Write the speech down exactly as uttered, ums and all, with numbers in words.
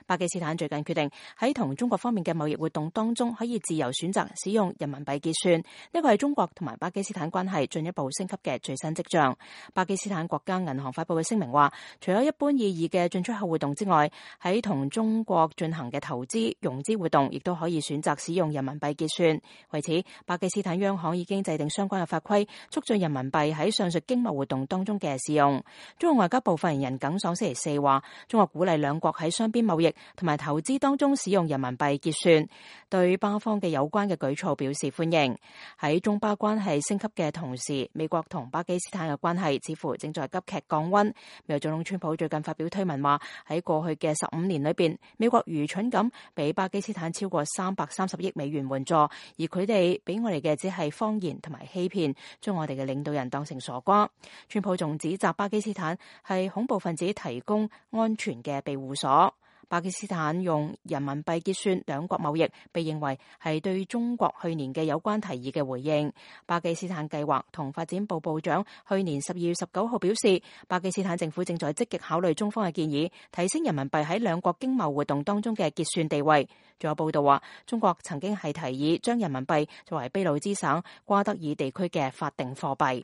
巴基斯坦最近決定喺同中國方面嘅貿易活動當中可以自由選擇使用人民幣結算，呢個係中國同埋巴基斯坦關係進一步升級嘅最新跡象。巴基斯坦國家銀行發佈嘅聲明話，除咗一般意義嘅進出口活動之外，喺同中國進行嘅投資融資活動亦都可以選擇使用人民幣結算。為此，巴基斯坦央行已經制定相關嘅法規，促進人民幣喺上述經貿活動當中嘅使用。中國外交部發言人耿爽星期四話，中國鼓勵兩國喺雙邊貿易同埋投資當中使用人民幣結算，對巴方嘅有關嘅舉措表示歡迎。喺中巴關係升級嘅同時，美國同巴基斯坦嘅關係似乎正在急劇降溫。美國總統川普最近發表推文話，喺過去嘅十五年裏邊，美國愚蠢咁俾巴基斯坦超過三百三十億美元援助，而佢哋俾我哋嘅只係謊言同埋欺騙，將我哋嘅領導人當成傻瓜。川普仲指責巴基斯坦係恐怖分子提供安全嘅庇護所。巴基斯坦用人民幣結算兩國貿易，被認為係對中國去年嘅有關提議嘅回應。巴基斯坦計劃同發展部部長去年十二月十九號表示，巴基斯坦政府正在積極考慮中方嘅建議，提升人民幣喺兩國經貿活動當中嘅結算地位。仲有報道話，中國曾經係提議將人民幣作為俾路支省瓜德爾地區嘅法定貨幣。